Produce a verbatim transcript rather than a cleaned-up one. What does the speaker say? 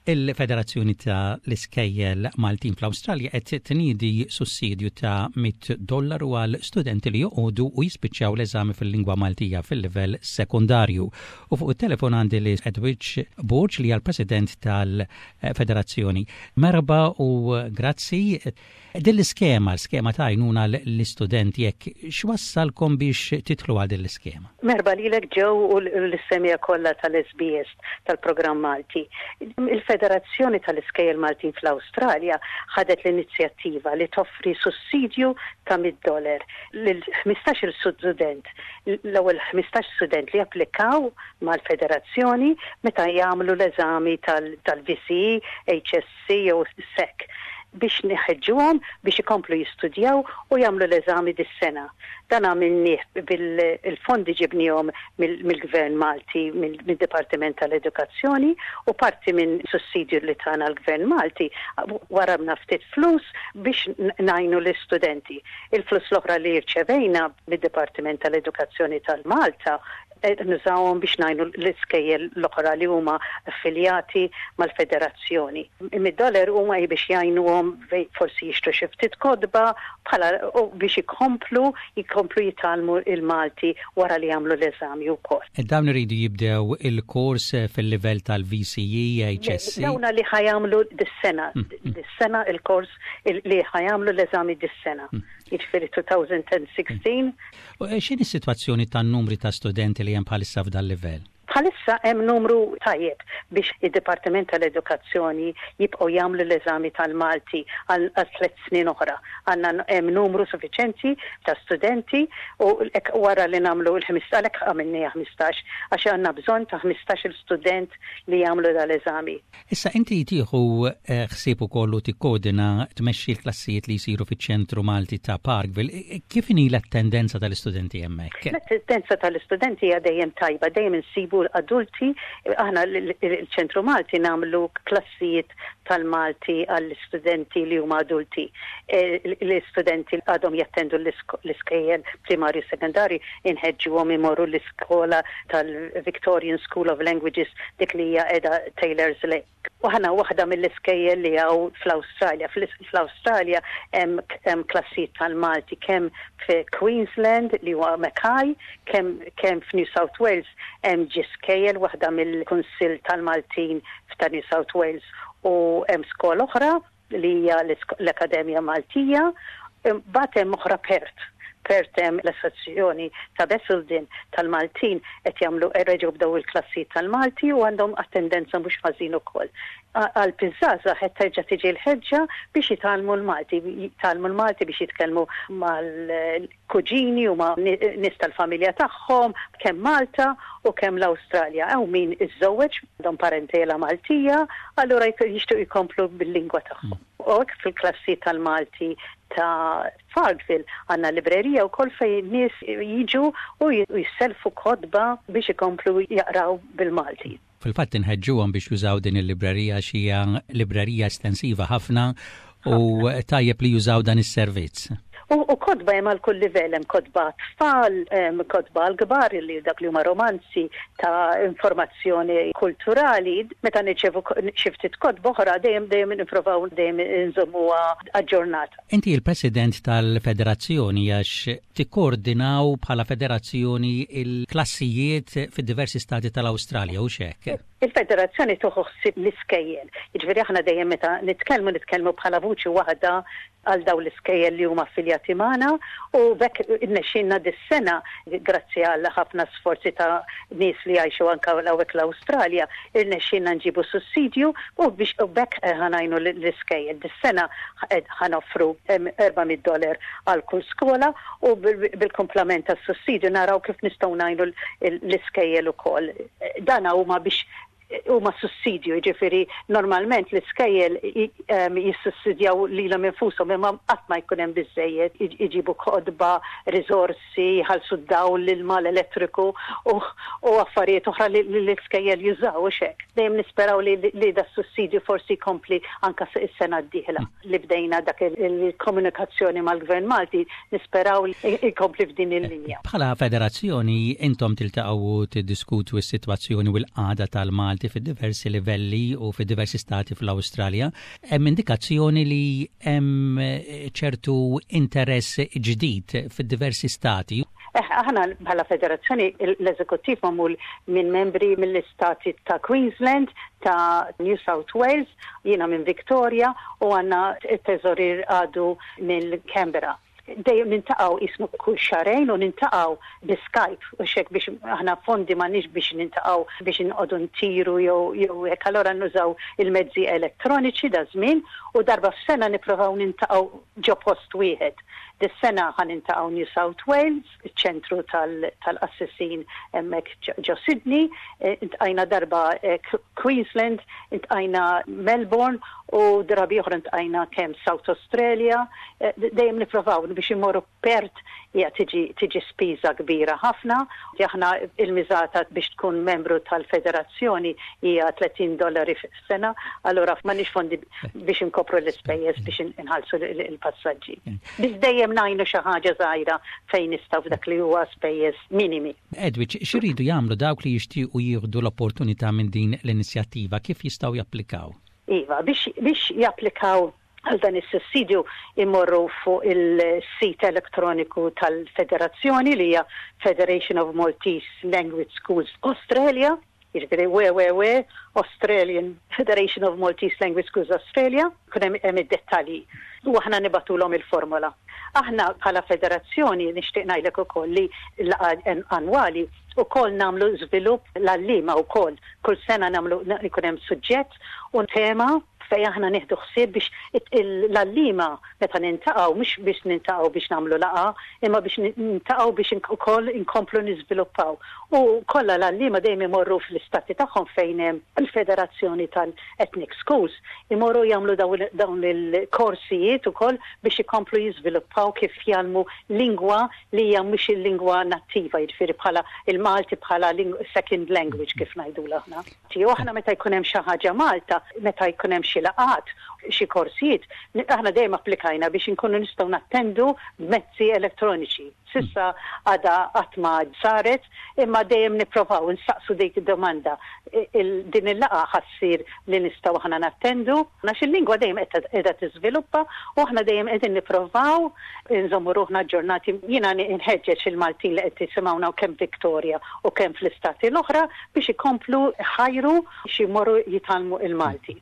Il-Federazzjoni ta' l-Iskejjel Maltin fl-Awstralja qed tniedi sussidju ta' mitt dollaru għal studenti li joqogħdu u jispiċċaw l-eżami fil-lingwa Maltija fil-livell sekundarju. U fuq it-telefon għandi lil Edwidge Borg, li għal president tal-Federazzjoni. Merħba u grazzi. Din l-iskema, l-iskema ta' għajnuna l-istudenti, jekk x'wassalkom biex tidħlu għal din l-iskema? Merħba lilek, Joe, u l-semmiegħa kollha tal-S B S tal-programm Malti. Il-Federazzjoni tal-Iskejjel Maltin fl-Awstralja ħadet l-inizjattiva li toffri sussidju ta' mitt dollar lil ħmistax-il student, l-ewwel ħmistax student li applikaw mal-Federazzjoni meta jagħmlu l-eżami tal-V C E, H S C jew S E C, biex nħeġġuhom biex ikomplu jistudjaw u jagħmlu l-eżami dis-sena. Dan għamilnieh bil-fondi ġibnihom mill-Gvern Malti, mill-Dipartiment tal-Edukazzjoni, u parti minn sussidju li tana l-Gvern Malti warabna ftit flus biex ngħinu l-istudenti. Il-flus l-oħra li rċevejna mid-Dipartiment tal-Edukazzjoni tal-Malta nużawhom biex ngħinu l-iskejjel l-oħra li huma affiljati mal-federazzjoni. Mid-dollar huma biex jgħinuhom forsi jixtru xi ftit kotba bħala u biex ikomplu jkomplu jitgħallmu il-Malti wara li jagħmlu l-eżami wkoll. Dawn iridu jibdew il-kors fil-livell tal-V C E, H S C? Dawna li ħa jagħmlu dis-sena, dis-sena il-kors li ħa jagħmlu l-eżami dis-sena. Jiġifieri elfejn u sittax. X'inhi s-sitwazzjoni tan-numri ta' studenti li hemm bħalissa f'dal livell? Bħalissa hemm numru tajjeb biex id-Dipartiment tal-Edukazzjoni jibqgħu jagħmlu l-eżami tal-Malti għal tliet snin oħra. Għandna hemm numru suffiċenti ta' studenti u wara li nagħmlu l-ħmistax, għalhekk għamilniha ħmistax, għax għandna bżonn ta' ħmistax il student li jagħmlu dal-eżami. Issa inti tieħu eh, ħsieb ukoll u tikkoordina, tmexxi l-klassijiet li jsiru fiċ-Ċentru Malti ta' Parkville. Kif inhi l-attendenza tal-istudenti hemmhekk? L-attendenza tal-istudenti hija dejjem tajba, dejjem insibu adulti. Aħna l-Ċentru Malti nagħmlu klassijiet tal-Malti għall-istudenti li huma adulti. E, l-istudenti għadhom jattendu l-iskejjel primarju, sekondari, inħeġġuhom imorru l-iskola tal-Victorian School of Languages, dik li hija qiegħda Taylor's Lake. U aħna waħda mill-iskejjel li hawn fl-Awstralja. Fl-Awstralja hemm klassijiet tal-Malti kemm fi Queensland li huwa Mackay, kemm kemm f'New South Wales hemm ġie skejjel waħda mill-Kunsill tal-Maltin ta' New South Wales u hemm skola oħra li hija l-Akademja Maltija, mbagħad hemm oħra Perth. Perth hemm l-Assoċjazzjoni ta' Basildon tal-Maltin, qed jagħmlu, reġgħu bdew il-klassi tal-Malti u għandhom attendenza mhux ħażin ukoll. Għal iż-żgħażagħ qed terġa' tiġi l-ħeġġa biex jitgħallmu l-Malti, jitgħallmu l-Malti biex jitkellmu mal-kuġini u ma' nies tal-familja tagħhom kemm Malta u kemm l-Awstralja. Hawn min iżżewweġ, għandhom parentela Maltija, allura jixtiequ jkomplu bil-lingwa tagħhom. U hekk fil-klassi tal-Malti ta' Parkville għandna librerija wkoll fejn nies jiġu u jisselfu kotba biex ikomplu jaqraw bil-Malti. Fil-fatt inħeġġuhom biex jużaw din il-librerija, xi librerija estensiva ħafna u tajjeb li jużaw dan is-servizz. U, u kotba hemm għal kull livell, hemm kotba tfal, hemm kotba għal kbar li dak li huma romanzi ta' informazzjoni kulturali. Meta nirċevu xi ftit kotba oħra, dejjem dejjem nipprovaw dejjem inżommuha aġġornata. Inti il-President tal-Federazzjoni, għax tikkoordinaw bħala federazzjoni il-klassijiet fid-diversi stati tal-Awstralja, u hekk? Il-federazzjoni tieħu ħsieb l-iskejjel. Jiġifieri aħna dejjem meta nitkellmu, nitkellmu bħala vuċi waħda għal daw l-iskejjel li huma affiljati magħna, u b'hekk irnexxielna dis-sena, grazzi għal ħafna sforzi ta' nies li jgħixu anke hawnhekk l-Awstralja, irnexxielna nġibu sussidju u biex u b'hekk ħa ngħinu l-iskejjel. Dis-sena ħa noffru erba' mitt dollar għal kull skola u bil-komplement tas-sussidju naraw kif nistgħu ngħinu l-iskejjel ukoll. Dana huma biex huma sussidju, ġifieri normalment l-iskejjel jissussidjaw lilhom infushom, imma qatt ma jkun hemm biżejjed, iġibu kotba, riżorsi, jħallsu d-dawl, l-ilma, l-elettriku u affarijiet oħra li l-iskejjel jużaw u hekk. Dejjem nisperaw li, li da sussidju forsi jkompli anka is-sena d-dieħla li bdejna dak il-komunikazzjoni mal-Gvern Malti, nisperaw li jkompli f'din il-linja. Bħala federazzjoni intom tiltaqgħu, tiddiskutu s-sitwazzjoni u l-qagħda tal-Malti. il-Malti fid-diversi livelli u fid-diversi stati fl-Awstralja. Hemm indikazzjoni li hemm ċertu interess ġdid fid-diversi stati. Eh, aħna bħala federazzjoni, l-eżekuttiv magħmul minn membri mill-istati ta' Queensland, ta' New South Wales, jiena minn Victoria u għandna it-teżorier għadu mill Canberra. Dejjem niltaqgħu ismu kull xahrejn u niltaqgħu bi Skype u hekk, biex aħna fondi m'għandniex biex niltaqgħu, biex nqogħdu ntiru jew jew hekk, allora nużaw il-mezzi elettroniċi da żmien u darba f'sena nippruvaw niltaqgħu ġo post wieħed. Dis-sena ħa niltaqgħu New South Wales, iċ-ċentru tal-qassisin hemmhekk ġo Sydney, eh, iltqajna darba eh, Queensland, iltqajna Melbourne u drabi oħra iltqajna kemm South Australia, eh, dejjem nippruvaw biex imorru Perth, hija tiġi tiġi spiża kbira ħafna. Aħna il-miżata biex tkun membru tal-federazzjoni hija tletin dollari f'sena, allura m'għandniex fondi biex inkopru l-ispejjeż biex inħallsu il-passaġġi. Biss dejjem ngħinu xi ħaġa żgħira fejn nistgħu f'dak li huwa spejjeż minimi. Edwidge, x'iridu jagħmlu dawk li jixtiequ jieħdu l-opportunità minn din l-inizjattiva, kif jistgħu japplikaw? Iva, biex, biex japplikaw għal dan is-sussidju imorru fuq il-sit elettroniku tal-Federazzjoni, li hija Federation of Maltese Language Schools Australia, jiġifieri W W W Australian Federation of Maltese Language Schools Australia, kun hemm id-dettalji. U aħna nibagħtulhom il-formola. Aħna bħala federazzjoni nixtieq ngħidlek ukoll li l-laqgħa annwali ukoll nagħmlu żvilupp l-għalliema wkoll. Kull sena nagħmlu, ikun hemm suġġett u tema fej aħna nieħdu ħsieb biex l-għalliema meta niltaqgħu, mhux biex niltaqgħu biex nagħmlu laqgħa, imma biex niltaqgħu biex ukoll inkomplu niżviluppaw. U kollha l-għalliema dejjem imorru fl-istati tagħhom fejn hemm il-Federazzjoni tal-Ethnic Schools, imorru jagħmlu dawn il-korsijiet ukoll biex ikomplu jiżviluppaw kif jgħallmu lingwa li hija mhux il-lingwa nattiva, jiġifieri bħala il-Malti bħala second language, kif ngħidu aħna. U aħna meta jkun hemm xi ħaġa Malta, meta jkun hemm xi laqgħat, xi korsijiet, aħna dejjem applikajna biex inkunu nistgħu nattendu mezzi elettroniċi. S'issa għadha qatt ma saret, imma dejjem nipprovaw nsaqsu dik id-domanda. Din il-laqgħa ħa ssir li nistgħu aħna nattendu, għax il-lingwa dejjem qiegħda tiżviluppa u aħna dejjem qegħdin nipprovaw nżommu ruħna aġġornati. Jiena nħeġġeġ il-Maltin li qed jisimgħuna kemm Victoria u kemm fl-istati l-oħra biex ikomplu ħajru xi jmorru jitgħallmu il-Malti.